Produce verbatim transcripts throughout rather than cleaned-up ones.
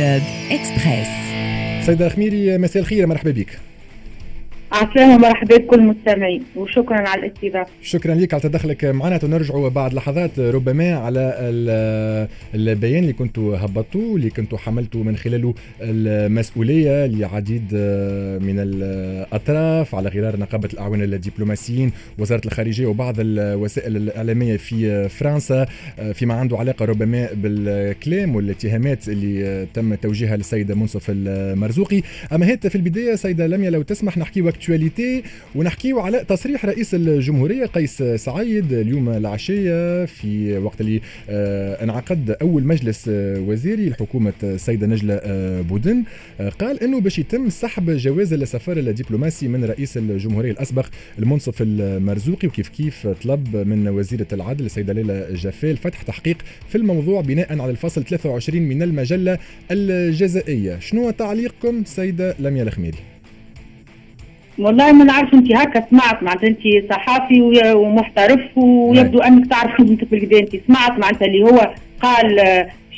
Club Express. سيدة الخميري، مساء الخير، مرحبا بك. عسلامة، مرحبا بكل المستمعين وشكرا على الاستضافة. شكرا لك على تدخلك معنا. نرجع بعد لحظات ربما على البيان اللي كنتوا هبطتوا، اللي كنتوا حملتوا من خلاله المسؤولية لعديد من الأطراف على غرار نقابة الأعوان الدبلوماسيين، وزارة الخارجية وبعض الوسائل الإعلامية في فرنسا، فيما عنده علاقة ربما بالكلام والاتهامات اللي تم توجيهها للسيد منصف المرزوقي. أما هات في البداية سيدة لميا لو تسمح نحكي actualité ونحكيو على تصريح رئيس الجمهورية قيس سعيد اليوم العشية في وقت اللي انعقد أول مجلس وزيري لحكومة السيدة نجلة بودن. قال أنه باش يتم سحب جواز السفر الدبلوماسي من رئيس الجمهورية الأسبق المنصف المرزوقي، وكيف كيف طلب من وزيرة العدل السيدة ليلى جفال فتح تحقيق في الموضوع بناء على الفصل ثلاثة وعشرين من المجلة الجزائية. شنو تعليقكم سيدة لميا الخميري؟ والله ما نعرف، انت هكا سمعت معناتها انت صحافي ومحترف ويبدو انك تعرف خدمتك بالكدا. انت سمعت معناتها اللي هو قال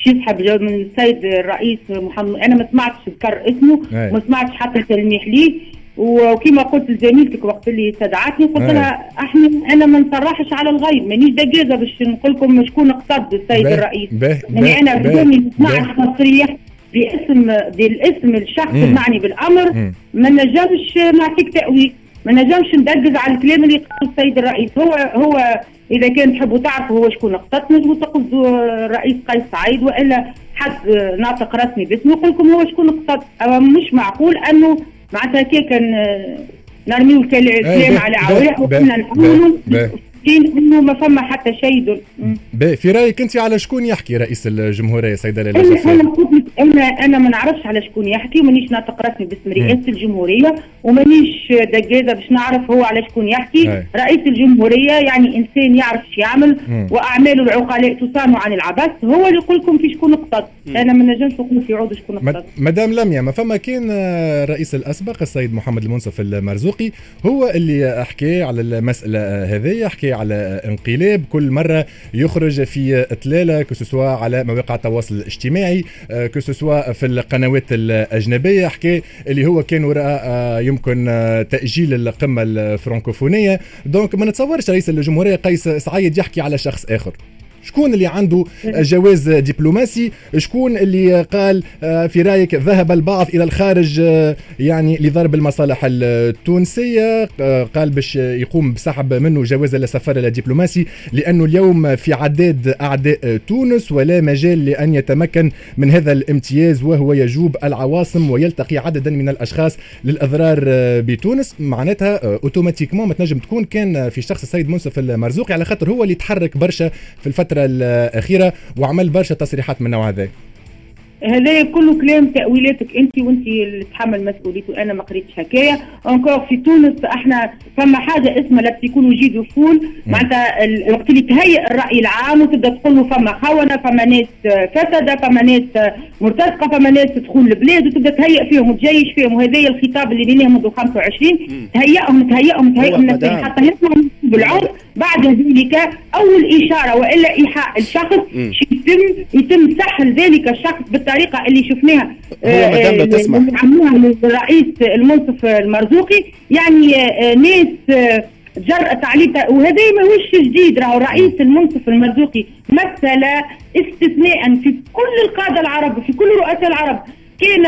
شي يسحب من السيد الرئيس محمد، انا ما سمعتش ذكر اسمه، ما سمعتش حتى تلميح ليه. وكما قلت لزميلتك وقت اللي استدعتني قلت لها احنا انا ما نصرحش على الغيب، مانيش دقيقة باش نقول لكم شكون اقتض السيد الرئيس. يعني انا بدوني سمعت تصريح باسم بالاسم الشخص المعني بالامر ما نجمش نعطيك تاويل، ما نجمش ندقز على الكلام اللي قاله السيد الرئيس. هو هو اذا كان تحبوا تعرفوا هو شكون اقتض نجموا تقصدوا الرئيس قيس سعيد والا حد ناطق رسمي باسمه يقول لكم هو شكون اقتض. مش معقول انه معناتها كي كان نرميو الكلام على عواه وكنا نقولوا انه ما فما حتى شيء. في رايك انت على شكون يحكي رئيس الجمهورية سيده ليلى جفال؟ انا انا انا ما نعرفش على شكون يحكي، ومانيش ناطق رسمي باسم رئاسة الجمهورية ومانيش دقازه باش نعرف هو على شكون يحكي. أي. رئيس الجمهورية يعني انسان يعرف شو يعمل واعماله العقلاء تصان عن العبث، هو اللي يقول لكم في شكون اقتض. انا ما نجمش نقول في عود شكون اقتض. مدام لميا، ما فما كان الرئيس الاسبق السيد محمد المنصف المرزوقي هو اللي حكى على المسالة هذه، حكى على انقلاب، كل مرة يخرج في إطلالة que ce soit على مواقع التواصل الاجتماعي، que ce soit في القنوات الأجنبية، حكى اللي هو كان وراء يمكن تأجيل القمة الفرنكوفونية. donc ما نتصورش رئيس الجمهورية قيس سعيد يحكي على شخص آخر. شكون اللي عنده جواز دبلوماسي؟ شكون اللي قال في رايك ذهب البعض إلى الخارج يعني لضرب المصالح التونسية؟ قال باش يقوم بسحب منه جواز السفر الدبلوماسي لأنه اليوم في عداد أعداء تونس ولا مجال لأن يتمكن من هذا الامتياز، وهو يجوب العواصم ويلتقي عددا من الأشخاص للأضرار بتونس. معناتها automatiquement ما تنجم تكون كان في شخص السيد منصف المرزوقي، على خاطر هو اللي تحرك برشا في الفترة الأخيرة وعمل برشا تصريحات من النوع هذا. هذا كله كلام تأويلاتك أنت، وأنت اللي تحمل مسؤوليته. أنا ما قريتش حكاية encore في تونس. احنا فما حاجة اسمها la psychologie de foule، معناتها الوقت اللي تهيئ الرأي العام وتبدا تقول له فما خونة، فما ناس فسدة، فما ناس مرتزقة، فما ناس تدخل البلاد، وتبدا تهيئ فيهم وتجيش فيهم. وهذا الخطاب اللي بيناه منذ خمسة وعشرين تهيئهم تهيئهم تهيئهم نفسهم حتى يطلعوا بالعنف. بعد ذلك أول إشارة وإلا إيحاء الشخص يتم يتم سحل ذلك الشخص بالطريقة اللي شفناها هو مدام لو تسمح عملوها للرئيس المنصف المرزوقي. يعني آه ناس آه جرأت عليه، وهذا ماهوش جديد. راهو الرئيس المنصف المرزوقي مثل استثناء في كل القادة العرب وفي كل رؤساء العرب، كان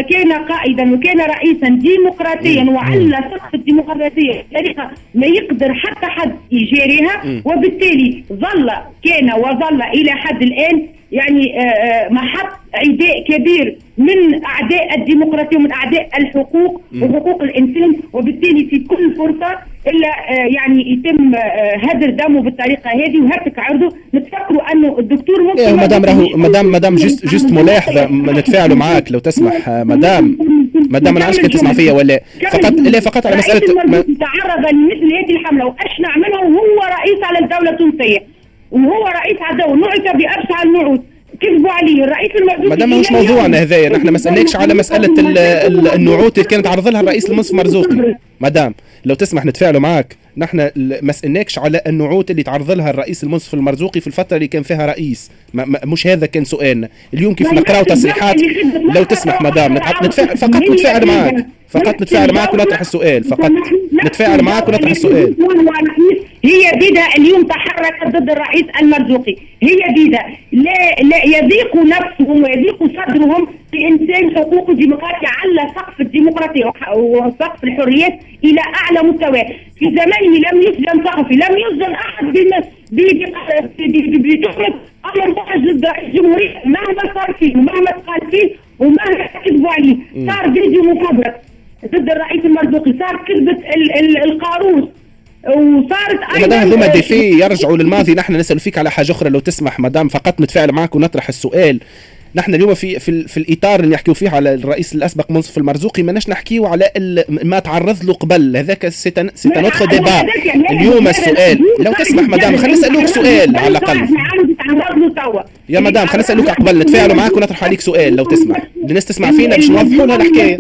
كان قائدا وكان رئيسا ديمقراطيا وعلى سقف الديمقراطية بطريقة ما يقدر حتى حد يجاريها، وبالتالي ظل كان وظل الى حد الان يعني محط عداء كبير من اعداء الديمقراطية ومن اعداء الحقوق وحقوق الانسان، وبالتالي في كل فرصة الا يعني يتم هدر دمه بالطريقة هذه وهتك عرضه. نتفكروا انه الدكتور ممكن إيه مدام راهو مدام مدام juste juste ملاحظة نتفاعلوا معاك لو تسمح مدام مدام ما نعرفش كنت تسمع فيا ولا فقط لا فقط على مسالة ما... تعرض لمثل هذه الحملة واشنع منها وهو رئيس على الدولة التونسية وهو رئيس على الدولة، نعت بابشع النعوت، كذبوا عليه الرئيس المرزوقي. مادام ماهوش موضوعنا هذايا، نحن ما سالناكش على مسالة النعوت اللي كانت عرض لها الرئيس المنصف مرزوقي. مدام لو تسمح نتفاعلوا معاك. نحن ما سالناكش على النعوت اللي تعرض لها الرئيس المنصف المرزوقي في الفترة اللي كان فيها رئيس، ما ما مش هذا كان سؤالنا. اليوم كيف نقراو تصريحات، لو تسمح مدام نتفاعل، فقط نتفاعل معك، فقط نتفاعل معك ونطرح السؤال، فقط نتفاعل معك ونطرح السؤال. هي بدا اليوم تحركت ضد الرئيس المرزوقي، هي بدا لا لا يضيق نفسهم ويضيق صدرهم بإنسان حقوق ديمقراطية على سقف الديمقراطية وسقف الحريات إلى أعلى مستوى. في زمانه لم يسجن صحفي، لم يسجن أحد بتهمة أمر محرج ضد رئيس الجمهورية، مهما صار فيه ومهما تقال فيه ومهما كذبوا عليه. صار فيديو مفبرك ضد الرئيس المرزوقي، صار كذبة القاروص، وصارت ايضا مدام هذوما des faits يرجعوا للماضي. نحن نسال فيك على حاجة اخرى لو تسمح مدام، فقط نتفاعل معك ونطرح السؤال. نحن اليوم في في, في الاطار اللي نحكيو فيه على الرئيس الاسبق منصف المرزوقي، ماناش نحكيو على ما تعرض له قبل، هذاك c'est un autre débat. اليوم السؤال لو تسمح مدام، خلينا نسالوك سؤال على الاقل يا مدام، خلينا نسالوك قبل نتفاعلوا معك ونطرح عليك سؤال لو تسمح، الناس تسمع فينا باش نوضحوا لها الحكاية،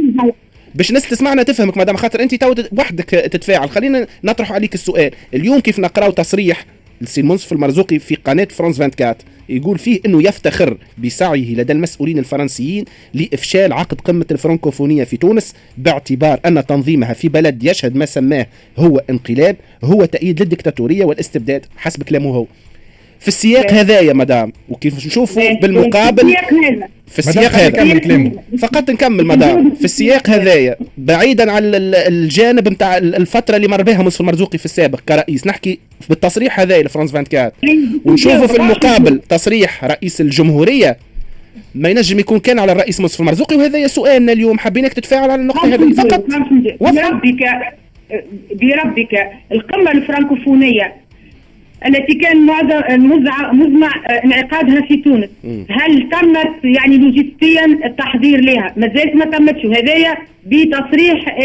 باش الناس تسمعنا تفهمك مدام، خاطر انت تو وحدك تتفاعل. خلينا نطرح عليك السؤال اليوم، كيف نقراو تصريح السي المنصف المرزوقي في قناة فرانس أربعة وعشرين يقول فيه انه يفتخر بسعيه لدى المسؤولين الفرنسيين لافشال عقد قمة الفرنكوفونية في تونس، باعتبار ان تنظيمها في بلد يشهد ما سماه هو انقلاب هو تأييد للديكتاتورية والاستبداد حسب كلامه هو. في السياق هذا يا مدام، وكيف نشوفوا بالمقابل في السياق هذا، فقط نكمل مدام، في السياق هذايا بعيدا عن الجانب نتاع الفترة اللي مر بها منصف المرزوقي في السابق كرئيس، نحكي بالتصريح هذايا لفرانس أربعة وعشرين، ونشوفوا في المقابل تصريح رئيس الجمهورية ما ينجم يكون كان على الرئيس منصف المرزوقي. وهذا سؤالنا اليوم، حبيناك تتفاعل على النقطة هذه فقط. بربك بربك القمه الفرنكوفونيه التي كان مزمع انعقادها في تونس، هل تمت يعني لوجستيا التحضير لها؟ ما زالت ما تمتش، وهذايا بتصريح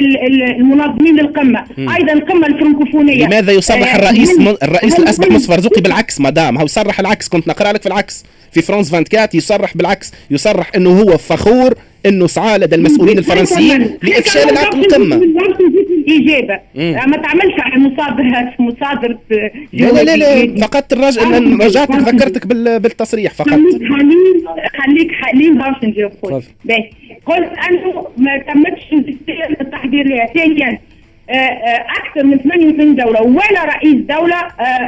المنظمين للقمه. ايضا القمه الفرنكوفونيه لماذا يصرح الرئيس من الرئيس الاسبق منصف المرزوقي بالعكس مدام؟ هو صرح العكس، كنت نقرا لك في العكس في فرانس أربعة وعشرين، يصرح بالعكس، يصرح انه هو فخور انه سعى لدى المسؤولين الفرنسيين لافشال العقد القمه. الاجابة ما تعملش على مصادره مصادره لا لا لا, لا. فقط الرجل رجعتك ذكرتك بالتصريح فقط. خليك خليك حليم باش نجاوب خويا. باهي، قلت انه ما تمتش التحضير لها. ثانيا اكثر من ثمانية وثمانين دولة ولا رئيس دولة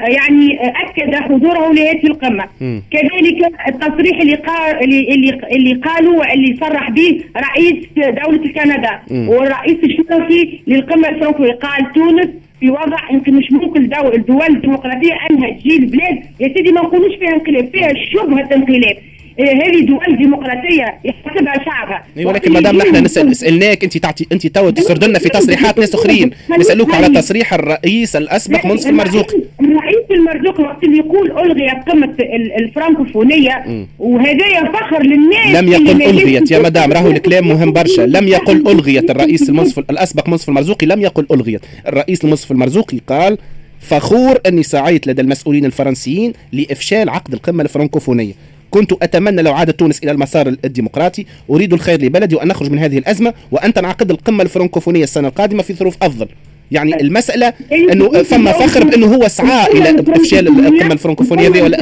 يعني اكد حضوره لهذه القمه. م. كذلك التصريح اللي قال اللي اللي قالوا واللي صرح به رئيس دولة كندا والرئيس الشرفي للقمه الفرنكوفونيه، قال تونس في وضع يمكن مش ممكن دول الدول الديمقراطية انها تجي البلاد يا سيدي ما نقولوش فيها انقلاب، فيها شبهه انقلاب. هذه دول ديمقراطية يحسبها شعبها. ولكن مدام نحن نسال سالناك انت تعطي انت تو تسرد لنا في تصريحات ناس اخرين، نسالوك على تصريح الرئيس الاسبق منصف المرزوقي. الرئيس المرزوقي وقت اللي يقول الغيت قمة الفرنكوفونيه وهذايا فخر للناس. لم يقل الغيت يا مدام، راهو الكلام مهم برشا. لم يقل الغيت الرئيس المنصف الاسبق منصف المرزوقي، لم يقل الغيت. الرئيس المنصف المرزوقي قال فخور اني سعيت لدى المسؤولين الفرنسيين لافشال عقد القمه الفرنكوفونيه، كنت أتمنى لو عادت تونس إلى المسار الديمقراطي، أريد الخير لبلدي وأن نخرج من هذه الأزمة وأن تنعقد القمة الفرنكوفونية السنة القادمة في ظروف أفضل. يعني المسألة أنه ثم فخر بأنه هو سعى إلى إفشال القمة الفرنكوفونية هذه. ولا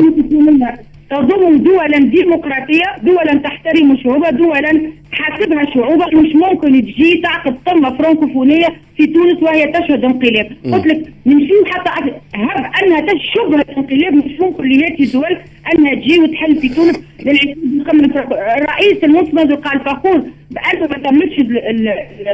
تضم دولا ديمقراطية، دولا تحترم شعوبها، دولا تحاسبها شعوبها. مش ممكن تجي تعقد قمة فرنكوفونية في تونس وهي تشهد انقلاب. قلت لك نمشيو حتى هب انها تشبه انقلاب، مش ممكن لهذه الدول انها تجي وتحل في تونس للقمة. الرئيس المنصف قال فخور بأنه ما تمتش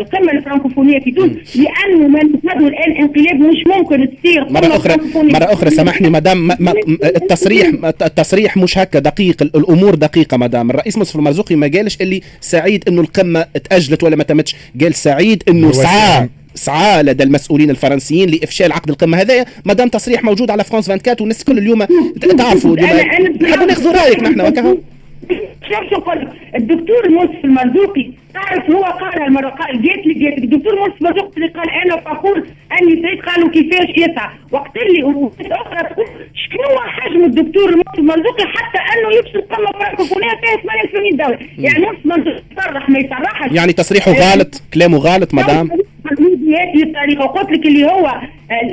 القمة الفرنكوفونية في تونس لأنه ما نشهده الآن انقلاب، مش ممكن تصير. مرة أخرى مرة أخرى سامحني مدام، ما ما التصريح التصريح مش هكا دقيق، الأمور دقيقة مدام. الرئيس منصف المرزوقي ما قالش اللي سعيد إنه القمة تأجلت ولا ما تمتش، قال سعيد إنه سعى سعى لدى المسؤولين الفرنسيين لافشال عقد القمه هذايا. مادام تصريح موجود على فرانس أربعة وعشرين والناس كل اليوم تعرفوا، نحبوا ناخذوا رايك نحن وكهو. شوف شو نقول لك، الدكتور منصف المرزوقي تعرف هو قالها المرة، قال جات لي جات الدكتور منصف المرزوقي اللي قال انا فخور اني سعيد، قالوا كيفاش يسعى وقت اللي اخرى تقول شنو حجم الدكتور منصف المرزوقي حتى انه يفشل قمة فرنكوفونيه فيها ثمانية وثمانين دولة. يعني منصف المرزوقي يصرح ما يصرحش، يعني تصريحه غلط، كلامه غلط مدام. بهذه الطريقة. وقلت لك اللي هو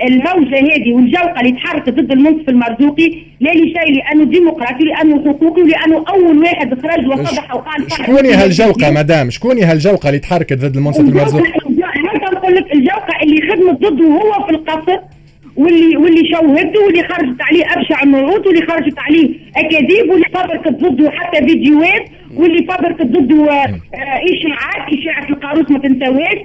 الموجه هذه والجوقه اللي تحركت ضد المنصف المرزوقي لا لشيء، لانه ديمقراطي، لانه حقوقي، ولانه اول واحد خرج وصدح وقال. شكون هالجوقه مدام؟ شكون هالجوقه اللي تحركت ضد المنصف المرزوقي؟ نقول لك الجوقه اللي خدمت ضده هو في القصر، واللي واللي شوهته، واللي خرجت عليه ابشع النعوت، واللي خرجت عليه اكاذيب، واللي فبركت ضده حتى فيديوهات، واللي فبركت ضده اشاعات، اشاعة القاروس ما تنساوهاش.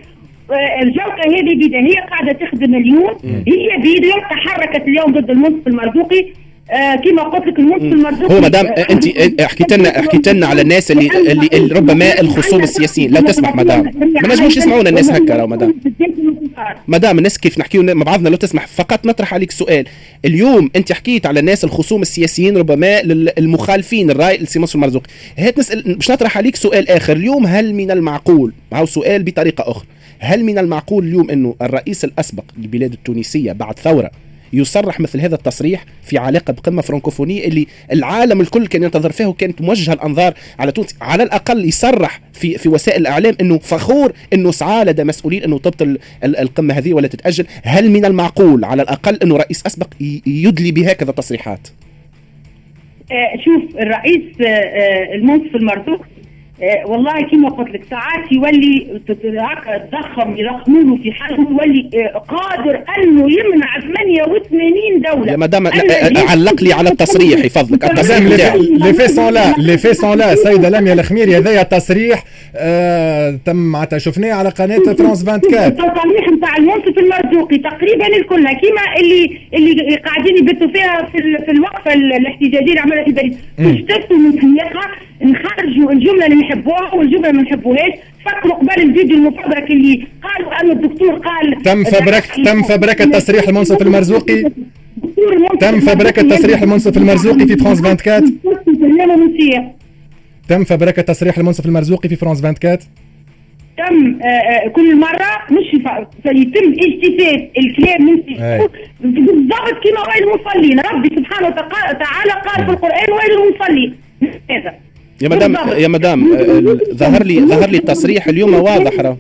الجوقه هذه بيدا هي قاعدة تخدم اليوم، هي بيدا تحركت اليوم ضد المنصف المرزوقي. آه كما قلت لك المنصف المرزوقي هو مدام انت حكيت لنا حكيت لنا على الناس اللي اللي ربما الخصوم السياسيين. لو تسمح مدام، ما نجموش يسمعونا الناس هكا. راهو مدام مدام الناس كيف نحكيو مع بعضنا، لو تسمح فقط نطرح عليك سؤال. اليوم انت حكيت على الناس الخصوم السياسيين ربما المخالفين الراي لسي منصف المرزوقي، هات نسال باش نطرح عليك سؤال اخر اليوم. هل من المعقول، هاو سؤال بطريقة اخرى، هل من المعقول اليوم انه الرئيس الاسبق للبلاد التونسية بعد ثورة يصرح مثل هذا التصريح في علاقة بقمة فرنكوفونية اللي العالم الكل كان ينتظر فيه وكانت موجهة الأنظار على تونس؟ على الأقل يصرح في في وسائل الإعلام أنه فخور أنه سعى لدى مسؤولين أنه تبطل القمة هذه ولا تتأجل. هل من المعقول على الأقل أنه رئيس أسبق يدلي بهكذا تصريحات؟ آه شوف الرئيس آه المنصف المرزوقي آه والله كما قلت لك ساعات يولي تضخم يضخمونه في حاله، يولي آه قادر انه يمنع ثمانية وثمانين دولة. يا مدام علق لي على التصريح يفضلك. التصريح les faits sont là، les faits sont là. سيده لميا الخميري، هذايا تصريح آه تم معناتها شفناه على قناة فرانس أربعة وعشرين. التصريح نتاع المنصف المرزوقي تقريبا الكل كيما اللي اللي قاعدين يبثوا فيها في, في الوقفة الاحتجاجية اللي عملها في باريس، تشتتوا من سياقها، نخرجوا الجملة اللي نحبوها والجملة اللي ما نحبوهاش. فكروا قبل الفيديو المفبرك اللي قالوا أن الدكتور قال تم فبركة تم فبركة تصريح المنصف المرزوقي، تم فبركة تصريح المنصف المرزوقي في فرانس أربعة وعشرين. تم فبركة تصريح المنصف المرزوقي في فرانس أربعة وعشرين. تم كل مرة مش يتم اجتثاث الكلام من بالضبط كما ويل المصلين. ربي سبحانه وتعالى قال في القرآن ويل المصلين. هذا يا مدام يا مدام ظهر لي ظهر لي التصريح اليوم واضح. راه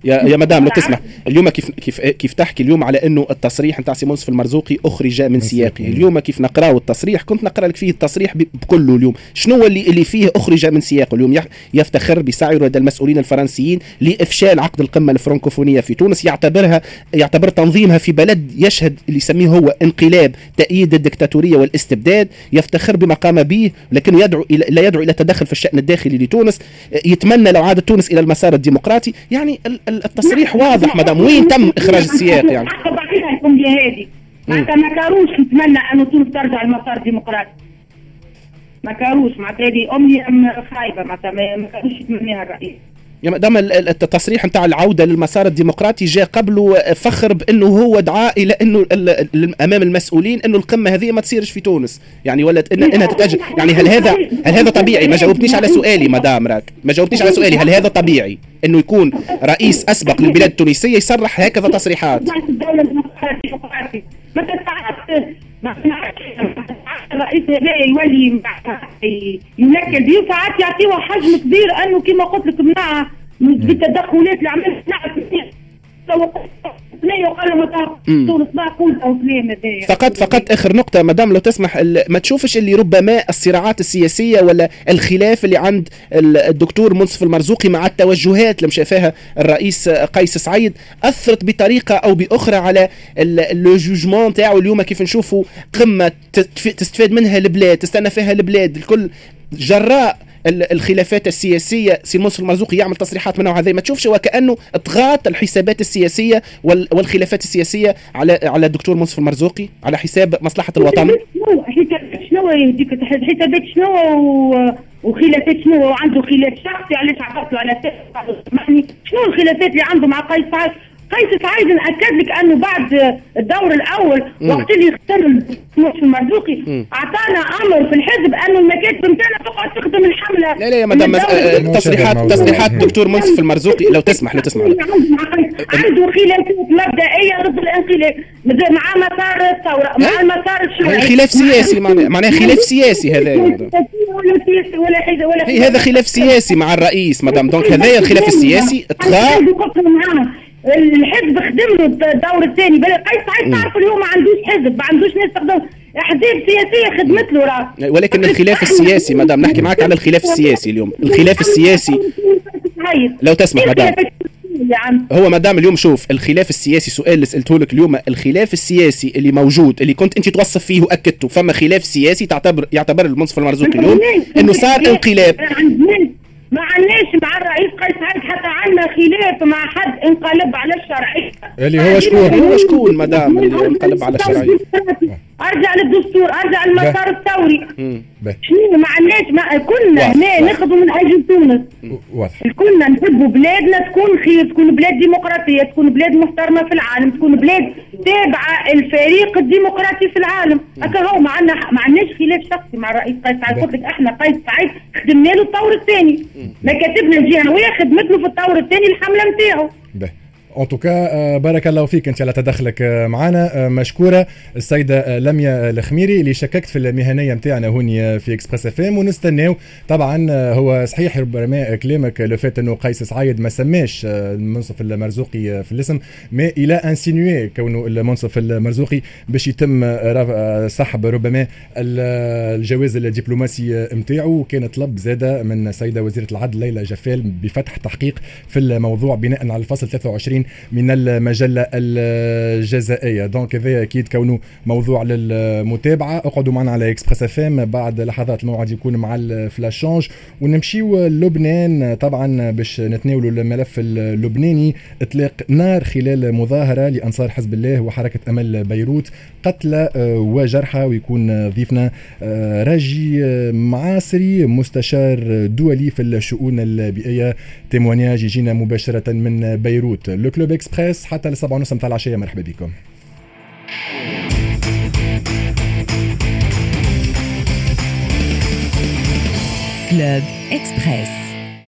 يا يا مدام لو تسمح، اليوم كيف كيف كيف تحكي اليوم على انه التصريح نتاع سي منصف المرزوقي اخرج من سياقه، اليوم كيف نقراو التصريح كنت نقرا لك فيه التصريح بكله. اليوم شنو اللي اللي فيه اخرج من سياقه؟ اليوم يفتخر بسعيه لدى المسؤولين الفرنسيين لافشال عقد القمه الفرنكوفونيه في تونس، يعتبرها يعتبر تنظيمها في بلد يشهد اللي يسميه هو انقلاب تأييد الدكتاتورية والاستبداد، يفتخر بما قام به لكن يدعو الى لا يدعو الى التدخل في الشأن الداخلي لتونس، يتمنى لو عادت تونس الى المسار الديمقراطي. يعني التصريح واضح مدام، وين تم إخراج السياق؟ يعني الأمنية هذه معناتها ما كاروش نتمنى أن تونس ترجع للمسار الديمقراطي، ما كاروش معناتها هذه أمنية خايبة، معناتها ما كاروش يتمناها الرئيس. يا مدام التصريح نتاع العودة للمسار الديمقراطي جاء قبله فخر بأنه هو دعا إلى أنه أمام المسؤولين أنه القمة هذه ما تصيرش في تونس، يعني ولا إن إنها تتأجل. يعني هل هذا هل هذا طبيعي؟ ما جاوبتنيش على سؤالي مدام، راك ما جاوبتنيش على سؤالي. هل هذا طبيعي أنه يكون رئيس أسبق للبلاد التونسية يصرح هكذا تصريحات؟ الرئيس هذا يولي ينكل بيه، وساعات يعطيوه حجم كبير أنه كما قلت لك منع بالتدخلات اللي عملت فقط فقط اخر نقطة مدام لو تسمح، ما تشوفش اللي ربما الصراعات السياسية ولا الخلاف اللي عند الدكتور منصف المرزوقي مع التوجهات اللي مشى فيها الرئيس قيس سعيد اثرت بطريقة او باخرى على le jugement تاعو اليوم؟ كيف نشوفوا قمة تستفاد منها البلاد، تستنى فيها البلاد الكل جراء الخلافات السياسية، سي منصف المرزوقي يعمل تصريحات من نوع هذا، ما تشوفش وكأنه اطغات الحسابات السياسية والخلافات السياسية على على الدكتور منصف المرزوقي على حساب مصلحة الوطن؟ شنو يهديك حسابات شنو وخلافات شنو؟ وعنده خلاف شخصي، علاش عبرت على شنو الخلافات اللي عنده مع قيس سعيد؟ قيس سعيد نأكد لك أنه بعد الدور الأول وقت اللي اختار المنصف المرزوقي أعطانا أمر في الحزب أنه المكاتب نتاعنا تقعد تخدم الحملة. لا لا يا مدام، تصريحات تصريحات الدكتور منصف المرزوقي لو تسمح لو تسمح عنده خلافات مبدئية ضد الانقلاب مع مسار الثورة مع المسار الشيوعي، خلاف سياسي، معناه خلاف سياسي هذا، ولا هذا خلاف سياسي مع الرئيس مدام، donc هذايا الخلاف السياسي طغى. الحزب خدم له الدور الثاني. بل قيس سعيد تعرف اليوم ما عندوش حزب، ما عندوش ناس تخدم، احزاب سياسية خدمت له راه. ولكن الخلاف السياسي مدام، نحكي معك على الخلاف السياسي اليوم، الخلاف السياسي لو تسمح مدام، هو مدام اليوم شوف الخلاف السياسي، سؤال اللي سألته لك اليوم، الخلاف السياسي اللي موجود اللي كنت انت توصف فيه واكدته، فما خلاف سياسي تعتبر يعتبر المنصف المرزوقي اليوم انه صار انقلاب؟ ما عندناش مع الرئيس قيس سعيد حتى عندنا خلاف مع حد انقلب على الشرعية. اللي هو شكون؟ هو شكون مدام اللي انقلب على الشرعية؟ ارجع للدستور، ارجع للمسار الثوري. شنو ما عندناش، ما كنا هنا ناخذوا من اجل تونس. واضح. كنا نحبوا بلادنا تكون خير، تكون بلاد ديمقراطية، تكون بلاد محترمه في العالم، تكون بلاد تابعه الفريق الديمقراطي في العالم. هكا هو ما عندنا ما عندناش خلاف شخصي مع الرئيس قيس سعيد. قلت لك احنا قيس سعيد خدمنا له الطور الثاني، مكاتبنا الجهوية خدمت له في الطور الثاني الحملة نتاعو. en tout cas بارك الله فيك انت على تدخلك معنا، مشكورة السيدة لميا الخميري اللي شككت في المهنية نتاعنا هوني في Express FM. ونستناو طبعا، هو صحيح ربما كلامك le fait انه قيس سعيد ما سماش المنصف المرزوقي في الاسم، mais il a insinué كونه المنصف المرزوقي باش يتم سحب ربما الجواز الدبلوماسي نتاعو. وكان طلب زاده من السيدة وزيره العدل ليلى جفال بفتح تحقيق في الموضوع بناء على الفصل ثلاثة وعشرين من المجلة الجزائية. donc هذا أكيد كونه موضوع للمتابعة. اقعدوا معنا على Express FM، بعد لحظات الموعد يكون مع ال flash change، ونمشيو لبنان طبعا باش نتناولوا الملف اللبناني. اطلاق نار خلال مظاهرة لأنصار حزب الله وحركة أمل بيروت، قتلى وجرحى، ويكون ضيفنا راجي معاصري مستشار دولي في الشؤون البيئية. témoignage يجينا مباشرة من بيروت. Le Club Express حتى لسبعة ونص متاع العشية، مرحبا بكم. Club Express.